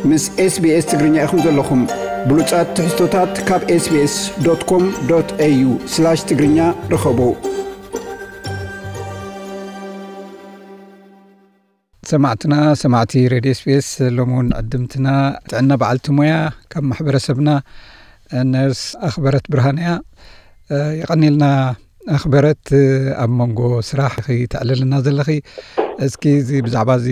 ምስ SBS ትግርኛ ኢኹም ዘለኹም። ብሉጻት ትሕዝቶታት ካብ SBS.com.au/ትግርኛ ርኸቡ። ሰማዕትና፣ ሰማዕቲ ሬድዮ SBS፣ ሎሚ እውን ዕድምትና ጥዕና በዓልቲ ሞያ ካብ ማሕበረሰብና ነርስ ኣኽበረት ብርሃን እያ። የቐኒልና ኣኽበረት፣ ኣብ መንጎ ስራሕ ኺ ተዕልልና ዘለኺ። እስኪ እዚ ብዛዕባ እዚ፣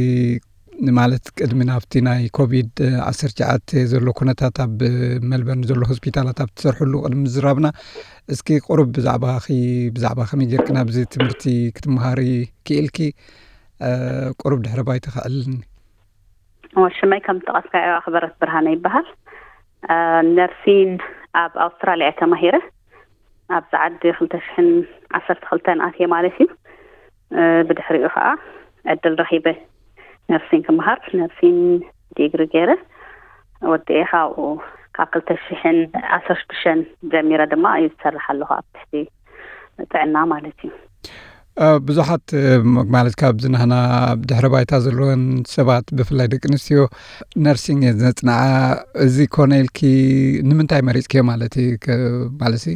ማለት ቅድሚ ናብቲ ናይ ኮቪድ ዓሰርተ ትሽዓተ ዘሎ ኩነታት ኣብ ሜልበርን ዘሎ ሆስፒታላት ኣብ ትሰርሕሉ ቅድሚ ምዝራብና፣ እስኪ ቁሩብ ብዛዕባኺ፣ ብዛዕባ ከመይ ጌርኪ ናብዚ ትምህርቲ ክትመሃሪ ክኢልኪ፣ ቁሩብ ድሕሪ ባይታ ከዕልልኒ። እወ፣ ሽመይ ከም ዝጠቐስካዮ ኣኽበረት ብርሃነ ይበሃል። ነርሲን ኣብ ኣውስትራልያ እየ ተማሂረ። ኣብዚ ዓዲ ክልተ ሽሕን ዓሰርተ ክልተን ኣትየ ማለት እዩ። ብድሕሪኡ ከዓ ዕድል ረኺበ ነርሲን ክመሃር፣ ነርሲን ዲግሪ ገይረ ወዲኤ። ካብኡ ካብ ክልተ ሽሕን ዓሰርተ ሽዱሽተን ጀሚረ ድማ እዩ ዝሰርሕ ኣለኹ ኣብ ትሕቲ ጥዕና ማለት እዩ። ብዙሓት፣ ማለት ካብዚ ናህና ድሕረ ባይታ ዘለወን ሰባት፣ ብፍላይ ደቂ ኣንስትዮ፣ ነርሲንግ እየን ዘጽንዓ። እዚ ኮነ ኢልኪ ንምንታይ መሪጽክዮ ማለት እዩ? ማለት ሲ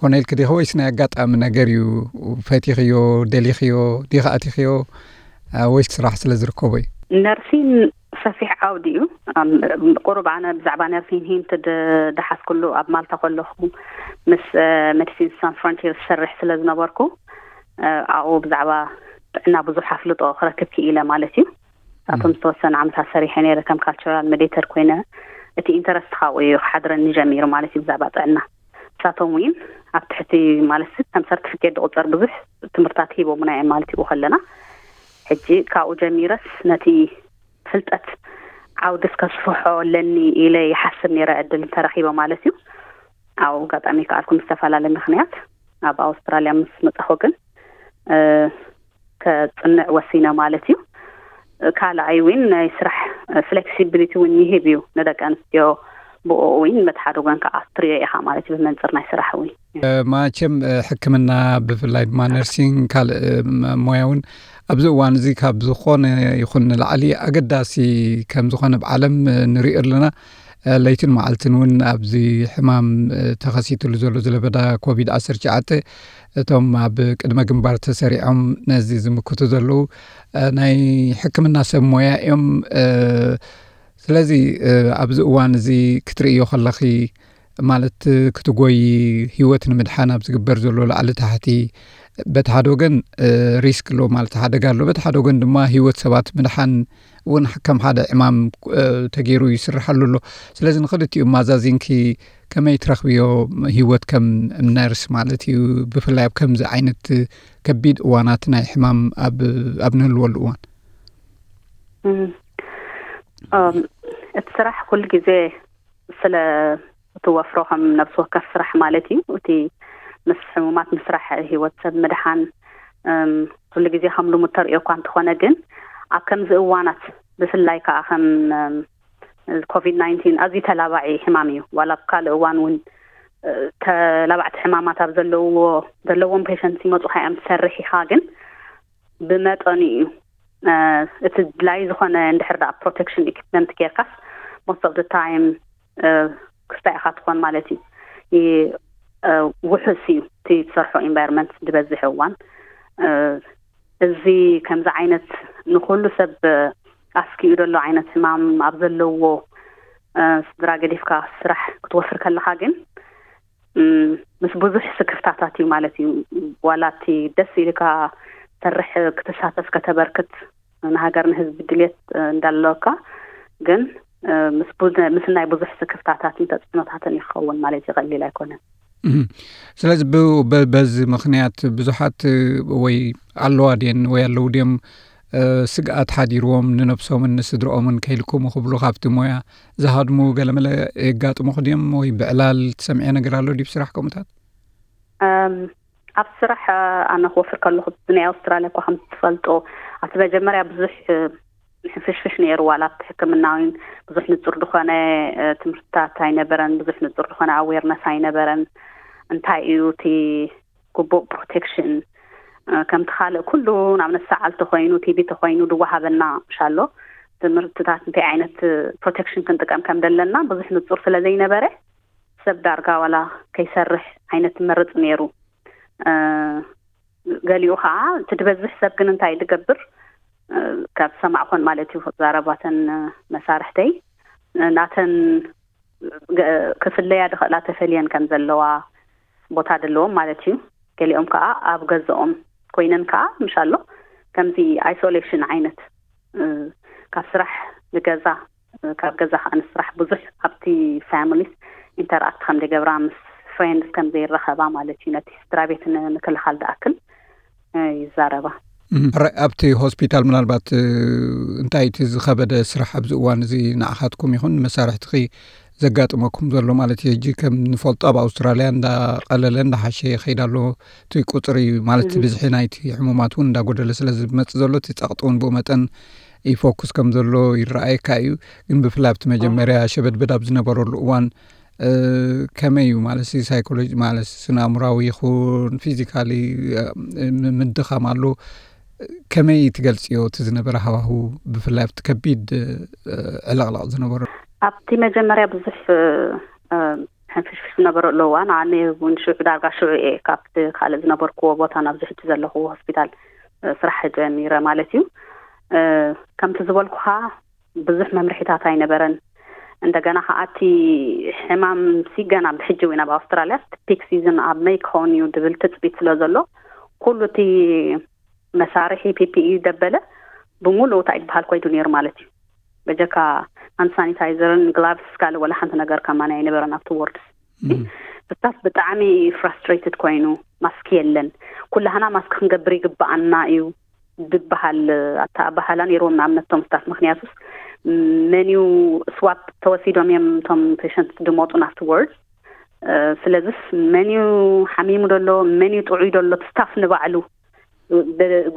ኮነ ኢልኪ ዲኺ፣ ወይስ ናይ ኣጋጣሚ ነገር እዩ? ፈቲኽዮ፣ ደሊኽዮ፣ ዲኺ ኣቲኽዮ፣ ወይስ ስራሕ ስለ ዝርከቦ እዩ? ነርሲን ሰፊሕ ዓውዲ እዩ። ቁሩብ ኣነ ብዛዕባ ነርሲን ሂንት ድሓዝኩሉ ኣብ ማልታ ከለኹ ምስ ሜዲሲን ሳን ፍሮንቲር ዝሰርሕ ስለ ዝነበርኩ፣ ኣብኡ ብዛዕባ ጥዕና ብዙሕ ኣፍልጦ ክረክብ ክኢለ ማለት እዩ። ኣብቶም ዝተወሰነ ዓመታት ሰሪሐ ነይረ ከም ካልቸራል ሜዲተር ኮይነ። እቲ ኢንተረስት ካብኡ እዩ ክሓድረኒ ጀሚሩ ማለት እዩ ብዛዕባ ጥዕና። ንሳቶም እውን ኣብ ትሕቲ ማለት ከም ሰርቲፊኬት ዝቑጸር ብዙሕ ትምህርታት ሂቦምና እዮም ማለት እዩ ከለና። ሕጂ ካብኡ ጀሚረስ ነቲ ፍልጠት ዓውዲ እስከስፍሖ ኣለኒ ኢለ ይሓስብ ነይረ፣ ዕድል እንተረኺበ ማለት እዩ። ኣብ ኣጋጣሚ ከኣልኩ ብዝተፈላለየ ምኽንያት ኣብ ኣውስትራልያ ምስ መጻኹ ግን ከጽንዕ ወሲነ ማለት እዩ። ካልኣይ እውን ናይ ስራሕ ፍሌክሲቢሊቲ እውን ይህብ እዩ ንደቂ ኣንስትዮ። ብኡ እውን መትሓደ ጎን ከዓ ትሪኦ ኢኻ ማለት እዩ ብመንፅር ናይ ስራሕ እውን። ማቸም ሕክምና ብፍላይ ድማ ነርሲንግ ካልእ ሞያ እውን ኣብዚ እዋን እዚ ካብ ዝኾነ ይኹን ንላዕሊ ኣገዳሲ ከም ዝኾነ ኣብ ዓለም ንሪኦ ኣለና። ለይትን መዓልትን እውን ኣብዚ ሕማም ተኸሲትሉ ዘሎ ዝለበዳ ኮቪድ ዓሰርተ ትሽዓተ እቶም ኣብ ቅድመ ግንባር ተሰሪዖም ነዚ ዝምክቱ ዘለዉ ናይ ሕክምና ሰብ ሞያ እዮም። ስለዚ ኣብዚ እዋን እዚ ክትርእዮ ከለኺ ማለት ክትጎይ ህይወት ንምድሓን ኣብ ዝግበር ዘሎ ላዕሊ ታሕቲ በቲ ሓደ ወገን ሪስክ ኣሎ ማለት ሓደጋ ኣሎ፣ በቲ ሓደ ወገን ድማ ህይወት ሰባት ምድሓን እውን ከም ሓደ ዕማም ተገይሩ ይስርሓሉ ኣሎ። ስለዚ ንክልቲኡ ማዛዚንኪ ከመይ ትረኽብዮ ህይወት ከም ነርስ ማለት እዩ፣ ብፍላይ ኣብ ከምዚ ዓይነት ከቢድ እዋናት ናይ ሕማም ኣብ ንህልወሉ እዋን? እቲ ስራሕ ኩሉ ግዜ ስለ እቲ ወፍሮ ከም ነብሲ ወከፍ ስራሕ ማለት እዩ። እቲ ምስ ሕሙማት ምስራሕ፣ ህይወት ሰብ ምድሓን ኩሉ ግዜ ከም ልሙድ ተርእዮ እኳ እንተኾነ ግን ኣብ ከምዚ እዋናት ብፍላይ ከዓ ከም ኮቪድ ናይንቲን ኣዝዩ ተላባዒ ሕማም እዩ። ዋላ ኣብ ካልእ እዋን እውን ተላባዕቲ ሕማማት ኣብ ዘለዎ ዘለዎም ፔሸንት ይመፁኻ እዮም ትሰርሕ ኢኻ ግን ብመጠኑ እዩ። እቲ ድላይ ዝኾነ እንድሕር ዳ ፕሮቴክሽን ኢኩፕመንት ጌርካስ most of the time ክስታይ ኢኻ ትኾን ማለት እዩ። ውሑስ እዩ እቲ ትሰርሖ ኢንቫይሮንመንት ዝበዝሕ እዋን። እዚ ከምዚ ዓይነት ንኩሉ ሰብ ኣስኪኡ ዘሎ ዓይነት ሕማም ኣብ ዘለዎ ስድራ ገዲፍካ ስራሕ ክትወፍር ከለኻ ግን ምስ ብዙሕ ስክፍታታት እዩ ማለት እዩ። ዋላ እቲ ደስ ኢልካ ሰርሕ ክትሳተፍ ከተበርክት ንሃገር ንህዝቢ ድልየት እንዳለካ ግን ምስ ናይ ብዙሕ ስክፍታታትን ተፅዕኖታትን ይኸውን ማለት እዩ። ቀሊል ኣይኮነን። ስለዚ በዚ ምክንያት ብዙሓት ወይ ኣለዋ ድየን ወይ ኣለዉ ድዮም ስግኣት ሓዲርዎም ንነብሶምን ንስድርኦምን ከይልኩሙ ክብሉ ካብቲ ሞያ ዝሃድሙ ገለመለ የጋጥሙኹ ድዮም? ወይ ብዕላል ትሰምዕዮ ነገር ኣሎ ድዩ ስራሕ ከምኡታት? ኣብ ስራሕ ኣነ ክወፍር ከለኹ ናይ ኣውስትራልያ እኳ ከም ትፈልጦ ኣብቲ መጀመርያ ብዙሕ ሕፍሽፍሽ ነይሩ። ዋላ ኣብቲ ሕክምና እውን ብዙሕ ንጹር ዝኾነ ትምህርትታት ኣይነበረን፣ ብዙሕ ንጹር ዝኾነ ኣዌርነስ ኣይነበረን። እንታይ እዩ እቲ ግቡእ ፕሮቴክሽን? ከምቲ ካልእ ኩሉ ንኣብነት ሰዓል ተኾይኑ ቲቢ ተኾይኑ ድወሃበና ምሻሎ ትምህርትታት እንታይ ዓይነት ፕሮቴክሽን ክንጥቀም ከም ዘለና ብዙሕ ንጹር ስለ ዘይነበረ ሰብ ዳርጋ ዋላ ከይሰርሕ ዓይነት መርጽ ነይሩ። ገሊኡ ከዓ እቲ ዝበዝሕ ሰብ ግን እንታይ ዝገብር ካብ ዝሰማዕኮን ማለት እዩ፣ ዛረባተን መሳርሕተይ ናተን ክፍለያ ድኽእላ ተፈልየን ከም ዘለዋ ቦታ ዘለዎም ማለት እዩ። ገሊኦም ከዓ ኣብ ገዛኦም ኮይነን ከዓ ምሻሎ ከምዚ ኣይሶሌሽን ዓይነት ካብ ስራሕ ንገዛ ካብ ገዛ ከዓ ንስራሕ ብዙሕ ኣብቲ ፋሚሊስ ኢንተርኣክት ከም ዘይገብራ ምስ ፍሬንድስ ከም ዘይረኸባ ማለት እዩ። ነቲ ስድራ ቤት ንምክልኻል ዝኣክል ይዛረባ። ኣብቲ ሆስፒታል ምናልባት እንታይ እቲ ዝኸበደ ስራሕ ኣብዚ እዋን እዚ ንዓኻትኩም ይኹን ንመሳርሕትኺ ዘጋጥመኩም ዘሎ ማለት እዩ? ሕጂ ከም ንፈልጦ ኣብ ኣውስትራልያ እንዳቐለለ እንዳሓሸ ይኸይድ ኣሎ እቲ ቁፅሪ ማለት ብዝሒ ናይቲ ሕሙማት እውን እንዳጎደለ ስለ ዝመፅእ ዘሎ እቲ ፀቕጢ እውን ብኡ መጠን ይፎኩስ ከም ዘሎ ይረኣየካ እዩ። ግን ብፍላይ ኣብቲ መጀመርያ ሸበድበድ ኣብ ዝነበረሉ እዋን ከመይ እዩ ማለት ሳይኮሎጂ ማለት ስነ ኣእምራዊ ይኹን ፊዚካሊ ምድኻም ኣሎ? ከመይ ትገልፅዮ እቲ ዝነበረ ሃዋሁ ብፍላይ ኣብቲ ከቢድ ዕለቕለቕ ዝነበረ? ኣብቲ መጀመርያ ብዙሕ ሕንፍሽፍሽ ዝነበረሉ እዋን ኣነ እውን ሽዑ ዳርጋ ሽዑ እየ ካብቲ ካልእ ዝነበርኩዎ ቦታ ናብዚ ሕጂ ዘለኹዎ ሆስፒታል ስራሕ ጀሚረ ማለት እዩ። ከምቲ ዝበልኩኻ ብዙሕ መምርሒታት ኣይነበረን። እንደገና ከዓ እቲ ሕማም ሲ ገና ብሕጂ እውን ኣብ ኣውስትራልያ ፒክ ሲዝን ኣብ መይ ክኸውን እዩ ድብል ትፅቢት ስለ ዘሎ ኩሉ እቲ መሳርሒ ፒፒኢ ደበለ ብምሉእ እንታይ ዝበሃል ኮይዱ ነይሩ ማለት እዩ። በጀካ ሃንድ ሳኒታይዘርን ግላቭስ ካልእ ወላ ሓንቲ ነገር ከማን ኣይነበረን ኣብቲ ዎርድስ። ስታፍ ብጣዕሚ ፍራስትሬትድ ኮይኑ ማስክ የለን፣ ኩላህና ማስክ ክንገብር ይግባኣና እዩ ዝበሃል ኣተኣባህላ ነይርዎም ንኣብነት ቶም ስታፍ። ምክንያቱስ መን እዩ ስዋፕ ተወሲዶም እዮም ቶም ፔሸንት ዝመጡ ናብቲ ዎርድ። ስለዚስ መን እዩ ሓሚሙ ደሎ መን እዩ ጥዑይ ደሎ ስታፍ ንባዕሉ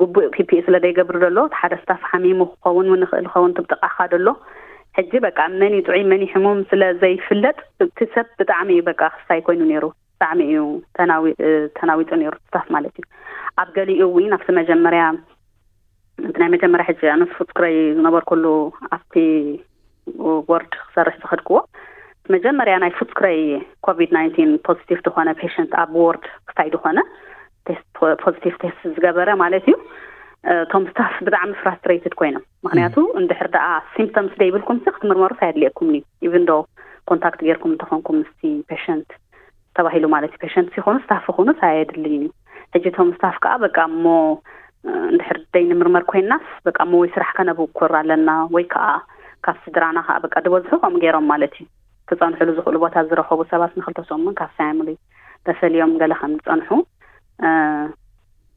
ግቡእ ፒፒኢ ስለ ዘይገብር ደሎ ሓደ ስታፍ ሓሚሙ ክኸውን እውን ይኽእል ይኸውን ትብጥቃኻ ደሎ ሕጂ በቃ መን እዩ ጥዑይ መን እዩ ሕሙም ስለ ዘይፍለጥ እቲ ሰብ ብጣዕሚ እዩ በቃ ክስታይ ኮይኑ ነይሩ። ብጣዕሚ እዩ ተናዊፁ ነይሩ ስታፍ ማለት እዩ። ኣብ ገሊኡ እውን ኣብቲ መጀመርያ እቲ ናይ መጀመርያ ሕጂ ኣነስ ፉትስክረይ ዝነበርኩሉ ኣብቲ ወርድ ክሰርሕ ዝኸድክዎ መጀመርያ ናይ ፉትስክረይ ኮቪድ ናይንቲን ፖዚቲቭ ዝኾነ ፔሸንት ኣብ ወርድ ክታይ ዝኾነ ፖዚቲቭ ቴስት ዝገበረ ማለት እዩ። እቶም ስታፍ ብጣዕሚ ፍራስትሬትድ ኮይኖም ምክንያቱ እንድሕር ደኣ ሲምፕቶምስ ዘይብልኩም ሲ ክትምርመሩስ ኣየድልየኩም እዩ ኢቭን ዶ ኮንታክት ጌርኩም እንተኾንኩም ምስቲ ፔሸንት ተባሂሉ ማለት እዩ። ፔሸንት ሲኾኑ ስታፍ ይኹኑስ ኣየድልይን እዩ። ሕጂ እቶም ስታፍ ከዓ በቃ እሞ እንድሕር ደይ ንምርመር ኮይናስ በቃ እሞ ወይ ስራሕ ከነብኩር ኣለና ወይ ከዓ ካብ ስድራና ከዓ በቃ ዝበዝሑ ከምኡ ገይሮም ማለት እዩ። ክፀንሕሉ ዝኽእሉ ቦታ ዝረኸቡ ሰባት ንክልተ ሰሙን ካብ ፋሚሊ ተፈልዮም ገለ ከም ዝፀንሑ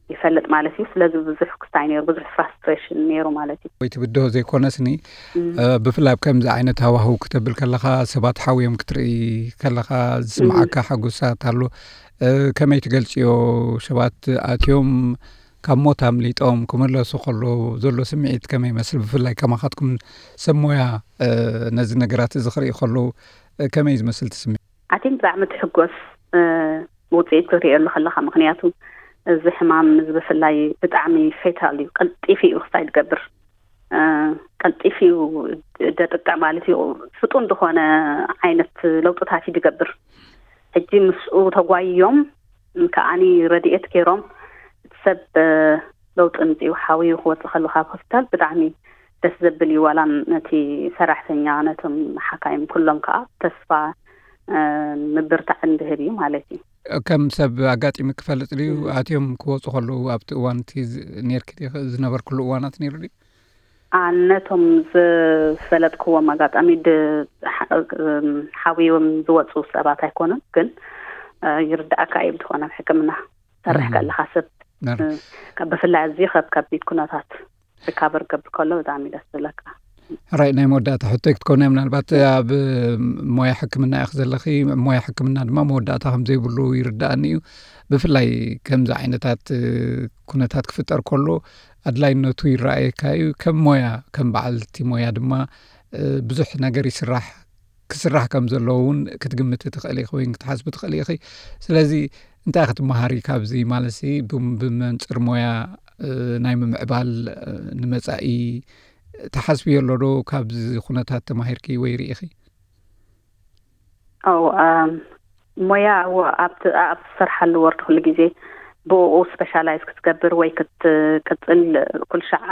ይፈልጥ ማለት እዩ። ስለዚ ብዙሕ ክስታይ ነይሩ፣ ብዙሕ ፍራስትሬሽን ነይሩ ማለት እዩ። ወይ ትብድሆ ዘይኮነስኒ ብፍላይ ኣብ ከምዚ ዓይነት ሃዋህው ክተብል ከለኻ ሰባት ሓውዮም ክትርኢ ከለኻ ዝስምዓካ ሓጎሳት ኣሎ። ከመይ ትገልፅዮ? ሰባት ኣትዮም ካብ ሞት ኣምሊጦም ክምለሱ ከለዉ ዘሎ ስምዒት ከመይ ይመስል? ብፍላይ ከማኻትኩም ሰብ ሞያ ነዚ ነገራት እዚ ክርኢ ከለዉ ከመይ ዝመስል ትስምዒት? ኣቲን ብጣዕሚ ትሕጎስ ውፅኢት ክትሪእየሉ ከለካ ምክንያቱ እዚ ሕማም እዚ ብፍላይ ብጣዕሚ ፌታል እዩ። ቀልጢፉ እዩ ክስታይ ዝገብር። ቀልጢፉ እዩ ደጥቅዕ ማለት እዩ። ፍጡን ዝኾነ ዓይነት ለውጥታት እዩ ዝገብር። ሕጂ ምስኡ ተጓይዮም ከዓኒ ረድኤት ገይሮም እቲ ሰብ ለውጢ ምፅኡ ሓውዩ ክወፅእ ከሉ ካብ ሆስፒታል ብጣዕሚ ደስ ዘብል እዩ። ዋላ ነቲ ሰራሕተኛ ነቶም ሓካይም ኩሎም ከዓ ተስፋ ምብርታዕን ዝህብ እዩ ማለት እዩ። ከም ሰብ ኣጋጢሙ ክፈልጥ ድዩ? ኣትዮም ክወፁ ከለዉ ኣብቲ እዋን እቲ ዝ- ኔርኪ ዲኺ? ዝነበርክሉ እዋናት ነይሩ ድዩ? ኣነቶም ዝፈለጥክዎም ኣጋጣሚ ድ- ሓ- ሓውዮም ዝወፁ ሰባት ኣይኮኑን፣ ግን ይርዳእካ እዩ ብዝኾነ ኣብ ሕክምና ሰርሕ ከለካ ሰብ ካብ ብፍላይ ኣዝዩ ካብ ከቢድ ኩነታት ሪካቨር ገብር ከሎ ብጣዕሚ ደስ ዝብለካ። ሕራይ ናይ መወዳእታ ሕቶይ ክትኮነ ምናልባት ኣብ ሞያ ሕክምና ኢኽ ዘለኺ። ሞያ ሕክምና ድማ መወዳእታ ከም ዘይብሉ ይርዳእኒ እዩ። ብፍላይ ከምዚ ዓይነታት ኩነታት ክፍጠር ከሎ ኣድላይነቱ ይረኣየካ እዩ። ከም ሞያ ከም በዓልቲ ሞያ ድማ ብዙሕ ነገር ይስራሕ ክስራሕ ከም ዘለዎ እውን ክትግምቲ ትኽእሊ ኢኺ ወይ ክትሓስቢ ትኽእሊ ኢኺ። ስለዚ እንታይ ክትመሃሪ ካብዚ ማለት ሲ ብመንፅር ሞያ ናይ ምምዕባል ንመፃኢ ትሓስብዮ ኣሎ ዶ? ካብዚ ኩነታት ተማሂርኪ ወይ ርኢኺ? ኦ ሞያ ኣብ ትሰርሓሉ ወርድ ኩሉ ግዜ ብኡ ስፔሻላይዝ ክትገብር ወይ ክትቅፅል ኩልሻዕ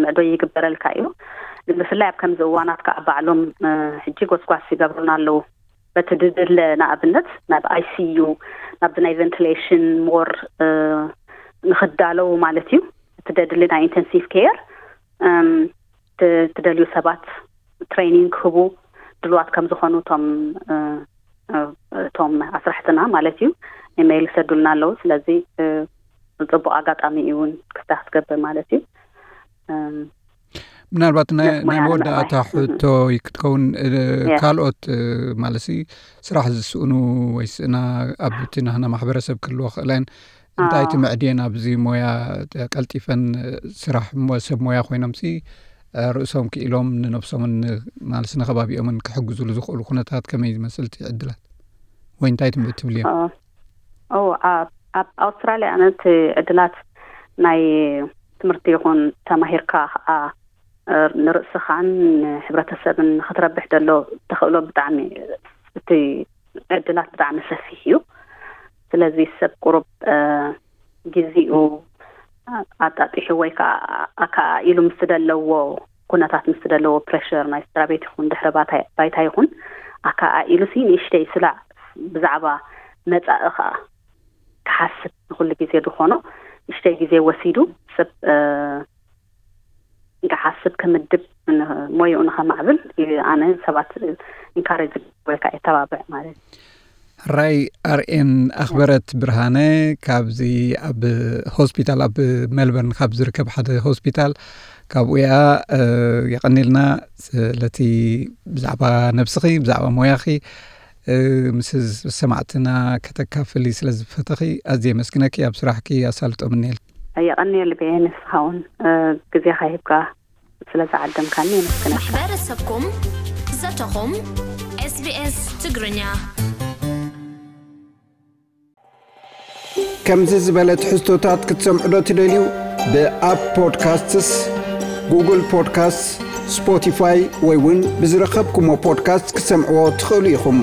ምዕዶ ይግበረልካ እዩ። ብፍላይ ኣብ ከምዚ እዋናት ከዓ ባዕሎም ሕጂ ጎስጓስ ይገብሩና ኣለዉ። በቲ ድድለ ንኣብነት ናብ ኣይሲዩ ናብዚ ናይ ቨንቲሌሽን ሞር ንክዳለዉ ማለት እዩ። እቲ ደድሊ ናይ ኢንተንሲቭ ኬር ትደልዩ ሰባት ትሬኒንግ ክህቡ ድልዋት ከም ዝኾኑ እቶም እቶም ኣስራሕትና ማለት እዩ ኢሜይል ይሰዱልና ኣለዉ። ስለዚ ፅቡቅ ኣጋጣሚ እዩ እውን ክፍታ ክትገብር ማለት እዩ። ምናልባት ናይ መወዳእታ ሕቶ ክትከውን ካልኦት ማለት ስራሕ ዝስእኑ ወይ ስእና ኣብቲ ናህና ማሕበረሰብ ክህልዎ ክእለን እንታይ ትምዕድየን ኣብዚ ሞያ ቀልጢፈን ስራሕ ሰብ ሞያ ኮይኖም ሲ ርእሶም ክኢሎም ንነብሶምን ማለት ንከባቢኦምን ክሕግዙሉ ዝኽእሉ ኩነታት ከመይ ዝመስል እቲ ዕድላት ወይ እንታይ ትምዕድ ትብልዮ? ኣብ ኣውስትራሊያ ኣነ እቲ ዕድላት ናይ ትምህርቲ ይኹን ተማሂርካ ከዓ ንርእስኻን ንሕብረተሰብን ንክትረብሕ ደሎ ተኽእሎ ብጣዕሚ እቲ ዕድላት ብጣዕሚ ሰፊሕ እዩ። ስለዚ ሰብ ቁሩብ ግዚኡ ኣጣጢሑ ወይ ከዓ ኣከኣኢሉ ምስ ዘለዎ ኩነታት ምስ ዘለዎ ፕሬሽር ናይ ስድራ ቤት ይኹን ድሕሪ ባይታ ይኹን ኣከኣኢሉ ሲ ንእሽተይ ስላዕ ብዛዕባ መፃኢ ከዓ ክሓስብ ንኩሉ ግዜ ዝኾኖ ንእሽተይ ግዜ ወሲዱ ሰብ ክሓስብ ክምድብ ሞይኡ ንኸማዕብል ኣነ ሰባት ኢንካሬጅ ወይ ከዓ የተባብዕ ማለት እዩ። ሕራይ ኣርኤን ኣኽበረት ብርሃነ ካብዚ ኣብ ሆስፒታል ኣብ ሜልበርን ካብ ዝርከብ ሓደ ሆስፒታል ካብኡ እያ። የቐኒልና ስለቲ ብዛዕባ ነብስኺ ብዛዕባ ሞያኺ ምስ ሰማዕትና ከተካፍሊ ስለ ዝፈተኺ ኣዝየ የመስግነኪ። ኣብ ስራሕኪ ኣሳልጦ ምንየል። የቐንየልቢ ንስኻ እውን ግዜኻ ሂብካ ስለ ዝዓደምካኒ የመስግነካ። ማሕበረሰብኩም ዘተኹም ኤስቢኤስ ትግርኛ። ከምዚ ዝበለ ትሕዝቶታት ክትሰምዑ ዶ ትደልዩ? ብኣፕ ፖድካስትስ፣ ጉግል ፖድካስትስ፣ ስፖቲፋይ ወይ እውን ብዝረኸብኩሞ ፖድካስት ክትሰምዕዎ ትኽእሉ ኢኹም።